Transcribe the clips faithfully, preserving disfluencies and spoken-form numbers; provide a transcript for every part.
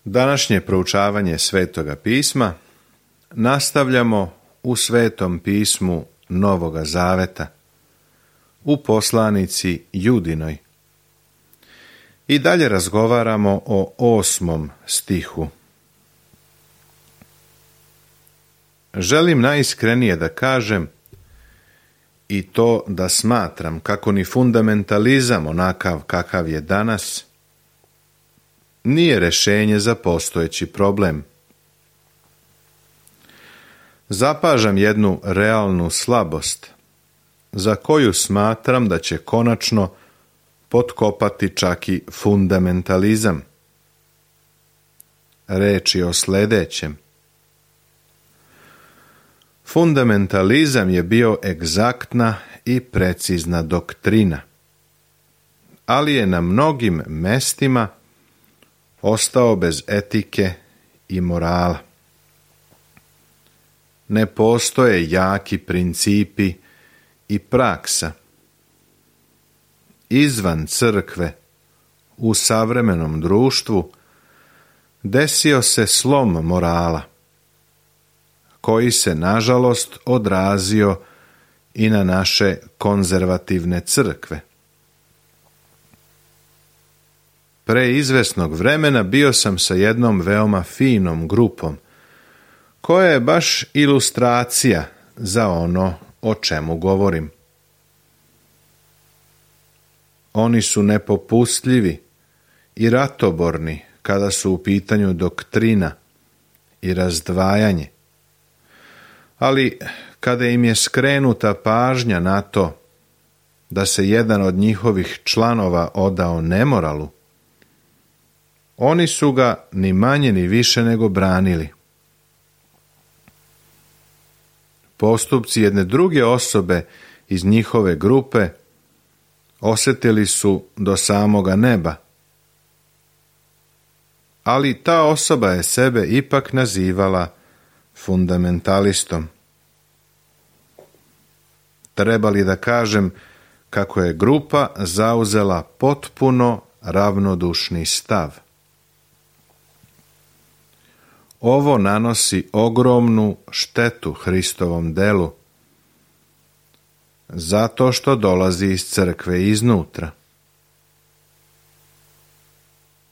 Današnje proučavanje Svetoga pisma nastavljamo u Svetom pismu Novoga Zaveta, u poslanici Judinoj. I dalje razgovaramo o osmom stihu. Želim najiskrenije da kažem i to da smatram kako ni fundamentalizam onakav kakav je danas nije rješenje za postojeći problem. Zapažam jednu realnu slabost za koju smatram da će konačno potkopati čak i fundamentalizam. Reč je o sljedećem. Fundamentalizam je bio egzaktna i precizna doktrina, ali je na mnogim mestima ostao bez etike i morala. Ne postoje jaki principi i praksa. Izvan crkve, u savremenom društvu, desio se slom morala, koji se nažalost odrazio i na naše konzervativne crkve. Pre izvesnog vremena bio sam sa jednom veoma finom grupom, koja je baš ilustracija za ono o čemu govorim. Oni su nepopustljivi i ratoborni kada su u pitanju doktrina i razdvajanje, ali kada im je skrenuta pažnja na to da se jedan od njihovih članova odao nemoralu, oni su ga ni manje ni više nego branili. Postupci jedne druge osobe iz njihove grupe osjetili su do samoga neba, ali ta osoba je sebe ipak nazivala fundamentalistom. Treba li da kažem kako je grupa zauzela potpuno ravnodušni stav? Ovo nanosi ogromnu štetu Hristovom delu, zato što dolazi iz crkve iznutra.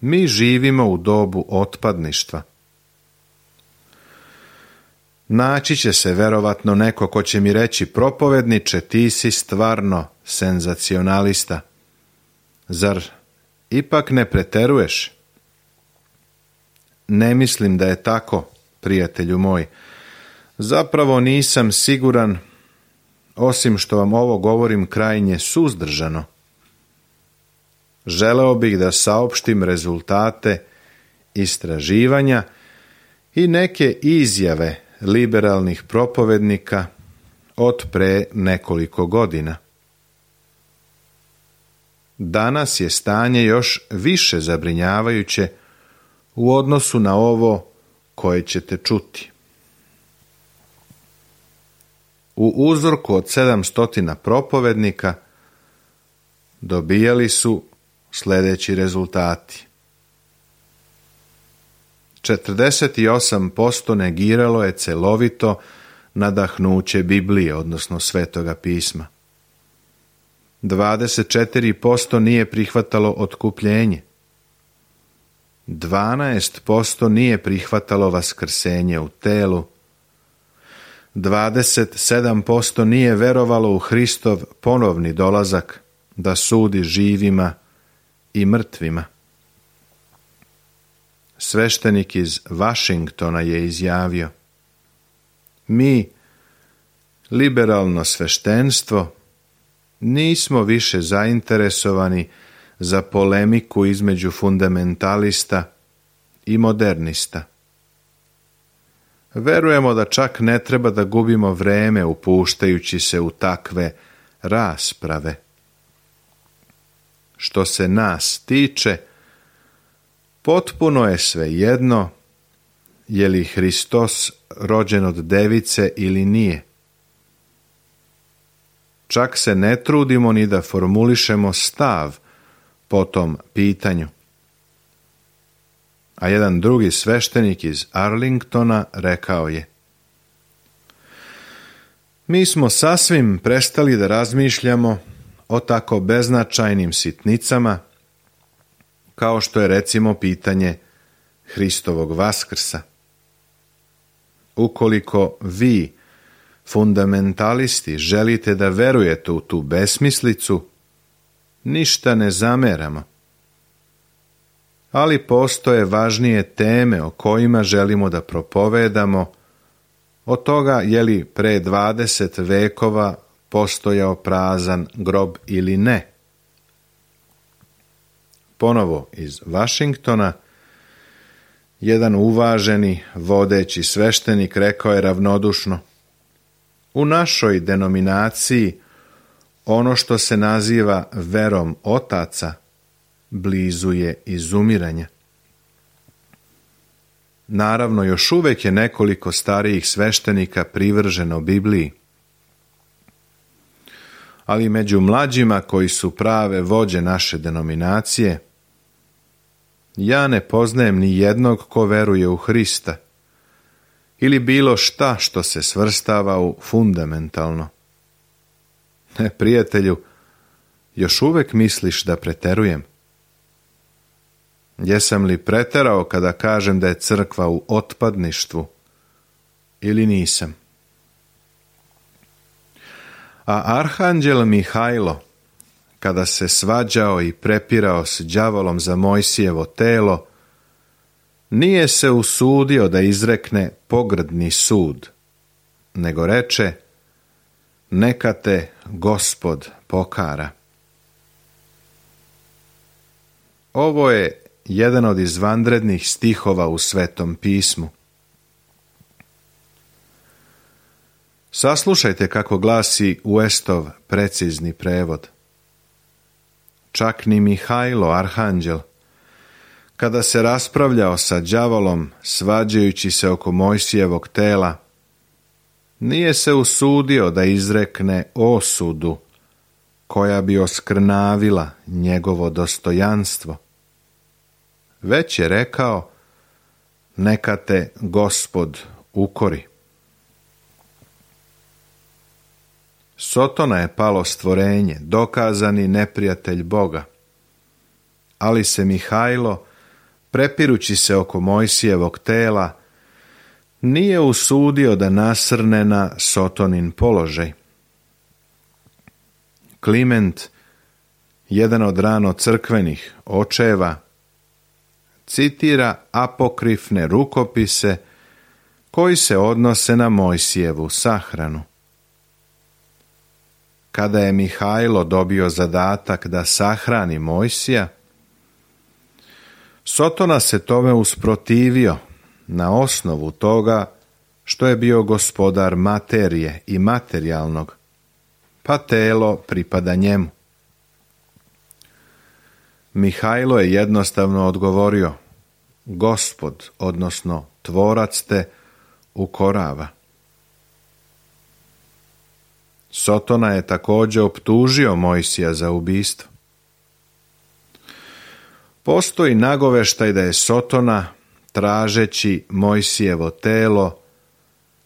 Mi živimo u dobu otpadništva. Naći će se verovatno neko ko će mi reći: propovedniče, ti si stvarno senzacionalista. Zar ipak ne preteruješ? Ne mislim da je tako, prijatelju moj. Zapravo nisam siguran, osim što vam ovo govorim krajnje suzdržano. Želeo bih da saopštim rezultate istraživanja i neke izjave liberalnih propovednika od pre nekoliko godina. Danas je stanje još više zabrinjavajuće u odnosu na ovo koje ćete čuti. U uzorku od sedamsto propovednika dobijali su sljedeći rezultati. četrdeset osam posto negiralo je celovito nadahnuće Biblije, odnosno Svetoga pisma. dvadeset četiri posto nije prihvatalo otkupljenje. dvanaest posto nije prihvatalo vaskrsenje u telu. dvadeset sedam posto nije verovalo u Hristov ponovni dolazak da sudi živima i mrtvima. Sveštenik iz Vašingtona je izjavio: mi, liberalno sveštenstvo, nismo više zainteresovani za polemiku između fundamentalista i modernista. Verujemo da čak ne treba da gubimo vreme upuštajući se u takve rasprave. Što se nas tiče, potpuno je svejedno je li Hristos rođen od device ili nije. Čak se ne trudimo ni da formulišemo stav po tom pitanju. a jedan drugi sveštenik iz Arlingtona rekao je: mi smo sasvim prestali da razmišljamo o tako beznačajnim sitnicama kao što je recimo pitanje Hristovog vaskrsa. Ukoliko vi, fundamentalisti, želite da verujete u tu besmislicu, ništa ne zameramo. Ali postoje važnije teme o kojima želimo da propovedamo, od toga je li pre dvadeset vekova postojao prazan grob ili ne. Ponovo iz Vašingtona, jedan uvaženi vodeći sveštenik rekao je ravnodušno: u našoj denominaciji ono što se naziva verom otaca blizu je izumiranja. Naravno, još uvijek je nekoliko starijih sveštenika privrženo Bibliji, ali među mlađima koji su prave vođe naše denominacije, ja ne poznajem ni jednog ko veruje u Hrista ili bilo šta što se svrstava u fundamentalno. Ne, prijatelju, još uvijek misliš da preterujem? Jesam li preterao kada kažem da je crkva u otpadništvu ili nisam? A arhanđel Mihajlo, kada se svađao i prepirao s đavolom za Mojsijevo telo, nije se usudio da izrekne pogrdni sud, nego reče: neka te Gospod pokara. Ovo je jedan od izvanrednih stihova u Svetom pismu. Saslušajte kako glasi Westov precizni prevod. Čak ni Mihajlo, arhanđel, kada se raspravljao sa đavolom, svađajući se oko Mojsijevog tela, nije se usudio da izrekne osudu koja bi oskrnavila njegovo dostojanstvo, već je rekao: neka te Gospod ukori. Sotona je palo stvorenje, dokazani neprijatelj Boga, ali se Mihajlo, prepirući se oko Mojsijevog tela, nije usudio da nasrne na Sotonin položaj. Kliment, jedan od rano crkvenih očeva, citira apokrifne rukopise koji se odnose na Mojsijevu sahranu. Kada je Mihajlo dobio zadatak da sahrani Mojsija, Sotona se tome usprotivio na osnovu toga što je bio gospodar materije i materijalnog, pa telo pripada njemu. Mihajlo je jednostavno odgovorio: Gospod, odnosno tvorac te ukorava. Sotona je također optužio Mojsija za ubistvo. Postoji nagoveštaj da je Sotona, tražeći Mojsijevo telo,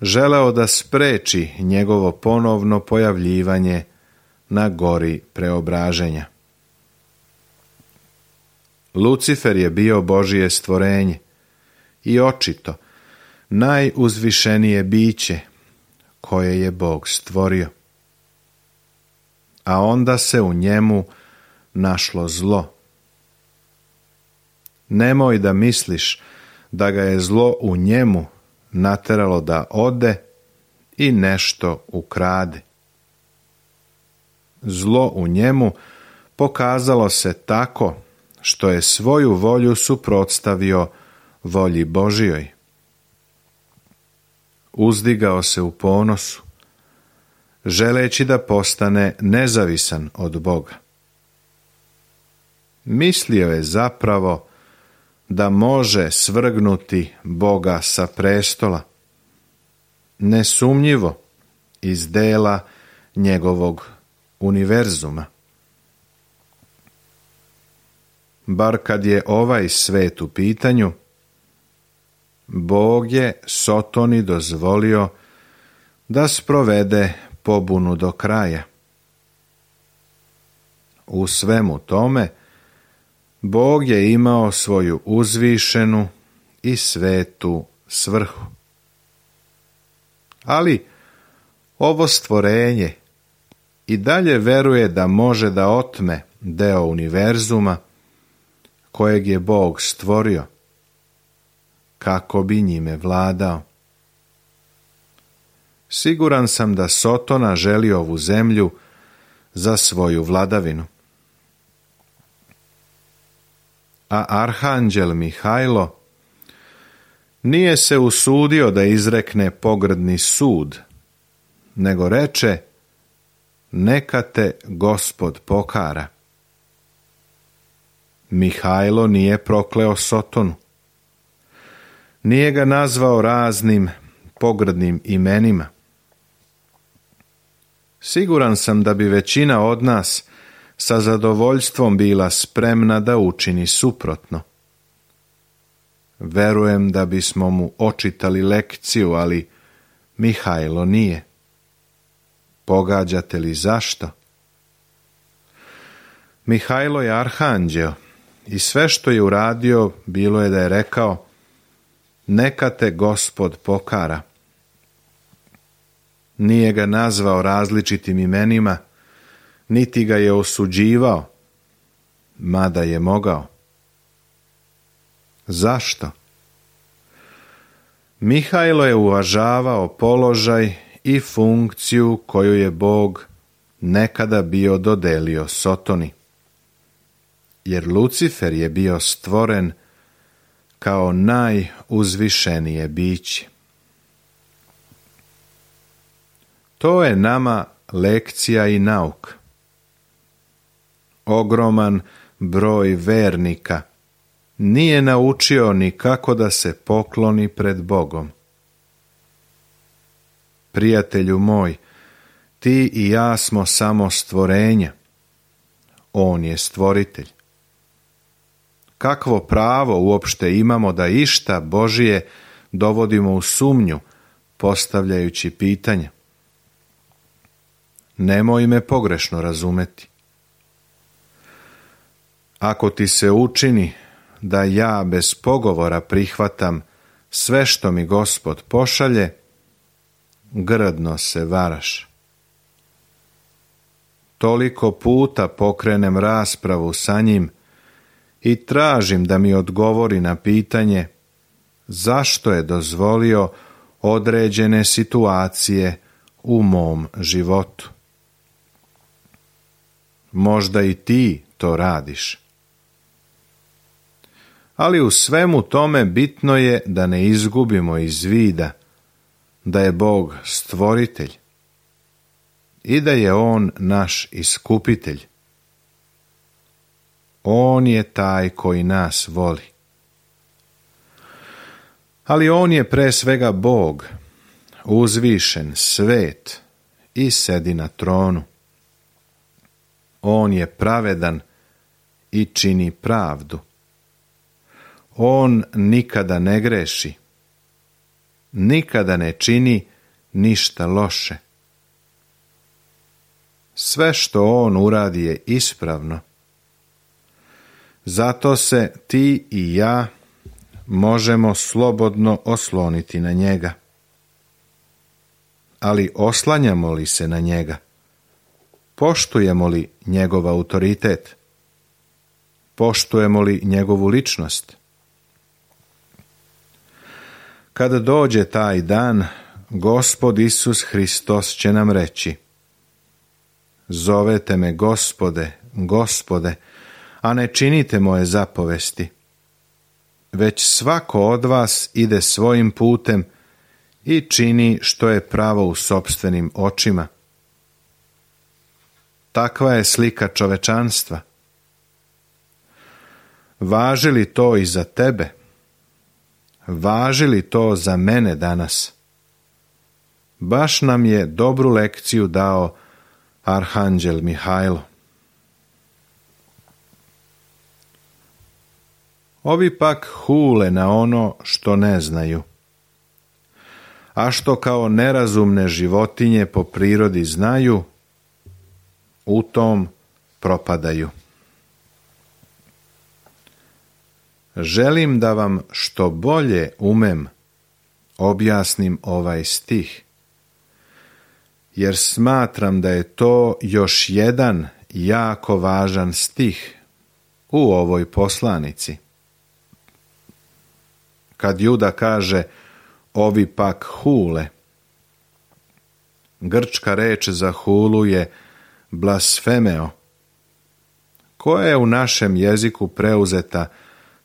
želeo da spreči njegovo ponovno pojavljivanje na gori preobraženja. Lucifer je bio Božije stvorenje i očito najuzvišenije biće koje je Bog stvorio. A onda se u njemu našlo zlo. Nemoj da misliš da ga je zlo u njemu nateralo da ode i nešto ukrade. Zlo u njemu pokazalo se tako što je svoju volju suprotstavio volji Božijoj. Uzdigao se u ponosu, želeći da postane nezavisan od Boga. Mislio je zapravo da može svrgnuti Boga sa prestola, nesumnjivo iz dela njegovog univerzuma. Bar kad je ovaj svet u pitanju, Bog je Sotoni dozvolio da sprovede pobunu do kraja. U svemu tome, Bog je imao svoju uzvišenu i svetu svrhu. Ali ovo stvorenje i dalje veruje da može da otme deo univerzuma kojeg je Bog stvorio, kako bi njime vladao. Siguran sam da Sotona želi ovu zemlju za svoju vladavinu. A arhanđel Mihajlo nije se usudio da izrekne pogrdni sud, nego reče: neka te Gospod pokara. Mihajlo nije prokleo Sotonu. Nije ga nazvao raznim pogrdnim imenima. Siguran sam da bi većina od nas sa zadovoljstvom bila spremna da učini suprotno. Verujem da bismo mu očitali lekciju, ali Mihajlo nije. Pogađate li zašto? Mihajlo je arhanđeo i sve što je uradio bilo je da je rekao: neka te Gospod pokara. Nije ga nazvao različitim imenima, niti ga je osuđivao, mada je mogao. Zašto? Mihajlo je uvažavao položaj i funkciju koju je Bog nekada bio dodelio Sotoni, jer Lucifer je bio stvoren kao najuzvišenije biće. To je nama lekcija i nauk. Ogroman broj vernika nije naučio ni kako da se pokloni pred Bogom. Prijatelju moj, ti i ja smo samo stvorenja. On je stvoritelj. Kakvo pravo uopšte imamo da išta Božije dovodimo u sumnju, postavljajući pitanja? Nemoj me pogrešno razumeti. Ako ti se učini da ja bez pogovora prihvatam sve što mi Gospod pošalje, grdno se varaš. Toliko puta pokrenem raspravu sa njim i tražim da mi odgovori na pitanje zašto je dozvolio određene situacije u mom životu. Možda i ti to radiš. Ali u svemu tome bitno je da ne izgubimo iz vida da je Bog stvoritelj i da je On naš iskupitelj. On je taj koji nas voli. Ali On je pre svega Bog, uzvišen, svet i sedi na tronu. On je pravedan i čini pravdu. On nikada ne greši, nikada ne čini ništa loše. Sve što On uradi je ispravno. Zato se ti i ja možemo slobodno osloniti na njega. Ali oslanjamo li se na njega? Poštujemo li njegov autoritet? Poštujemo li njegovu ličnost? Kada dođe taj dan, Gospod Isus Hristos će nam reći: zovete me Gospode, Gospode, a ne činite moje zapovesti. Već svako od vas ide svojim putem i čini što je pravo u sopstvenim očima. Takva je slika čovečanstva. Važi li to i za tebe? Važi li to za mene danas? Baš nam je dobru lekciju dao arhanđel Mihajlo. Ovi pak hule na ono što ne znaju, a što kao nerazumne životinje po prirodi znaju, u tom propadaju. Želim da vam što bolje umem objasnim ovaj stih, jer smatram da je to još jedan jako važan stih u ovoj poslanici. Kad Juda kaže ovi pak hule, grčka reč za hulu je blasfemeo, koja je u našem jeziku preuzeta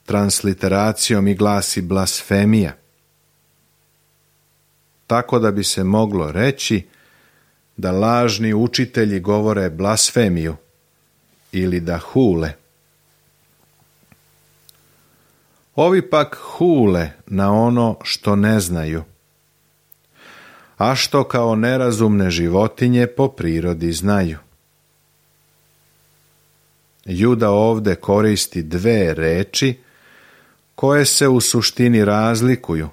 transliteracijom i glasi blasfemija. Tako da bi se moglo reći da lažni učitelji govore blasfemiju ili da hule. Ovi pak hule na ono što ne znaju, a što kao nerazumne životinje po prirodi znaju. Juda ovde koristi dve reči koje se u suštini razlikuju,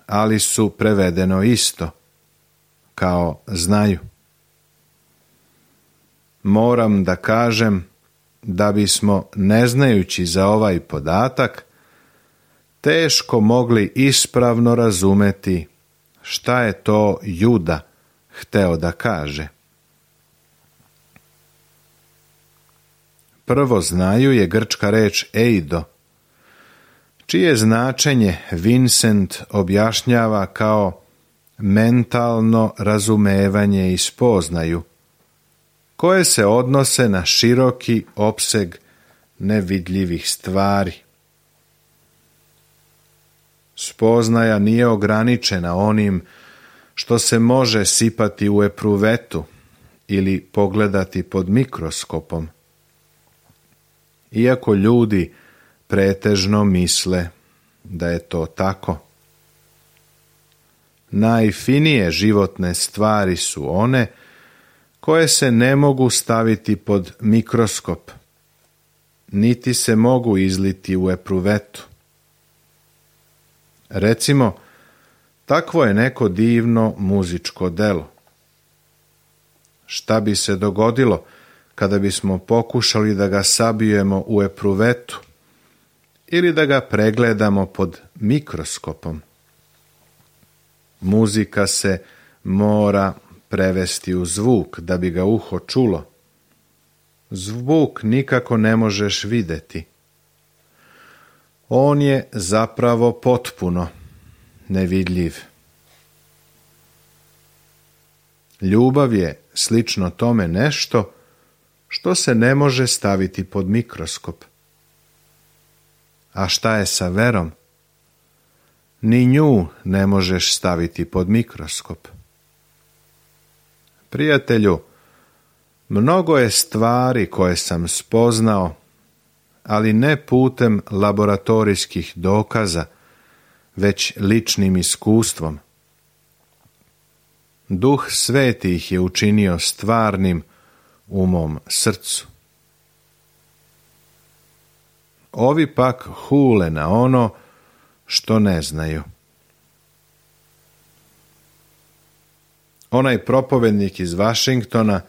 ali su prevedeno isto, kao znaju. Moram da kažem da bismo, ne znajući za ovaj podatak, teško mogli ispravno razumeti šta je to Juda hteo da kaže. Prvo znaju je grčka reč eido, čije značenje Vincent objašnjava kao mentalno razumevanje i spoznaju, koje se odnose na široki opseg nevidljivih stvari. Spoznaja nije ograničena onim što se može sipati u epruvetu ili pogledati pod mikroskopom, iako ljudi pretežno misle da je to tako. Najfinije životne stvari su one koje se ne mogu staviti pod mikroskop, niti se mogu izliti u epruvetu. Recimo, takvo je neko divno muzičko delo. Šta bi se dogodilo kada bismo pokušali da ga sabijemo u epruvetu ili da ga pregledamo pod mikroskopom? Muzika se mora prevesti u zvuk da bi ga uho čulo. Zvuk nikako ne možeš videti. On je zapravo potpuno nevidljiv. Ljubav je slično tome nešto što se ne može staviti pod mikroskop. A šta je sa verom? Ni nju ne možeš staviti pod mikroskop. Prijatelju, mnogo je stvari koje sam spoznao, ali ne putem laboratorijskih dokaza, već ličnim iskustvom. Duh Sveti ih je učinio stvarnim u mom srcu. Ovi pak hule na ono što ne znaju. Onaj propovednik iz Vašingtona,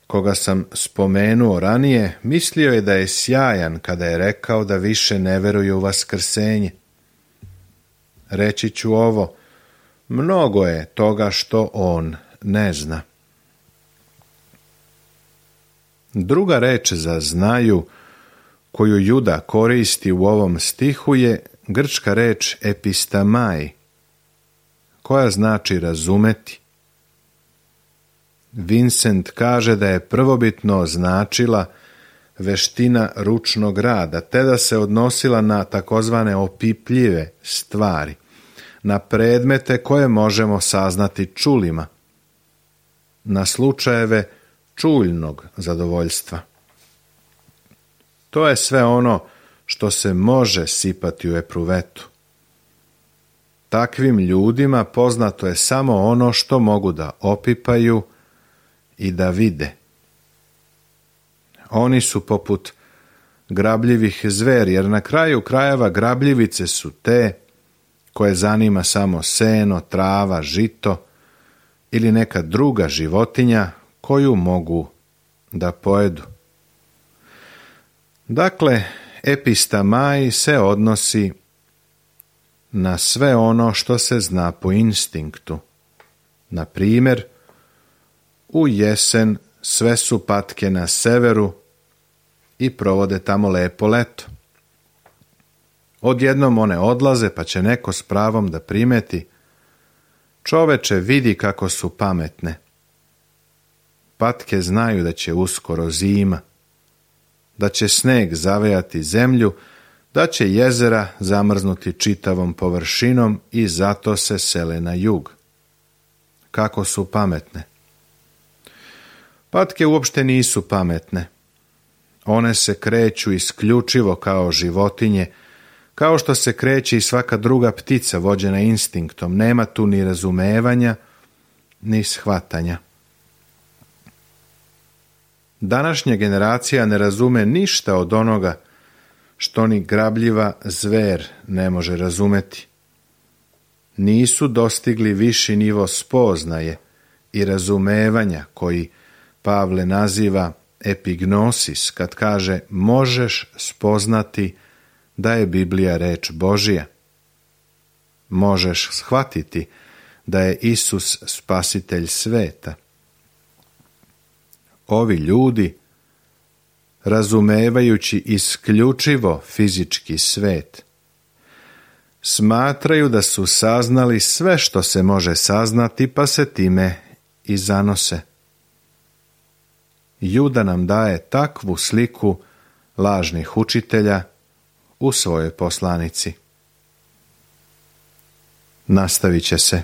koga sam spomenuo ranije, mislio je da je sjajan kada je rekao da više ne veruje u vaskrsenje. Reći ću ovo, mnogo je toga što on ne zna. Druga reč za znaju koju Juda koristi u ovom stihu je grčka reč epistamai, koja znači razumeti. Vincent kaže da je prvobitno značila veština ručnog rada, te da se odnosila na takozvane opipljive stvari, na predmete koje možemo saznati čulima, na slučajeve čuljnog zadovoljstva. To je sve ono što se može sipati u epruvetu. Takvim ljudima poznato je samo ono što mogu da opipaju i da vide. Oni su poput grabljivih zveri, jer na kraju krajeva grabljivice su te koje zanima samo seno, trava, žito ili neka druga životinja koju mogu da pojedu. Dakle, epistamai se odnosi na sve ono što se zna po instinktu. Na primjer, u jesen sve su patke na severu i provode tamo lepo leto. Odjednom one odlaze, pa će neko s pravom da primeti: čoveče, vidi kako su pametne. Patke znaju da će uskoro zima, da će sneg zavejati zemlju, da će jezera zamrznuti čitavom površinom i zato se sele na jug. Kako su pametne? Patke uopšte nisu pametne. One se kreću isključivo kao životinje, kao što se kreće i svaka druga ptica vođena instinktom. Nema tu ni razumevanja, ni shvatanja. Današnja generacija ne razume ništa od onoga što ni grabljiva zver ne može razumeti. Nisu dostigli viši nivo spoznaje i razumevanja koji Pavle naziva epignosis, kad kaže možeš spoznati da je Biblija reč Božija. Možeš shvatiti da je Isus spasitelj sveta. Ovi ljudi, razumevajući isključivo fizički svet, smatraju da su saznali sve što se može saznati, pa se time i zanose. Juda nam daje takvu sliku lažnih učitelja u svojoj poslanici. Nastavit će se.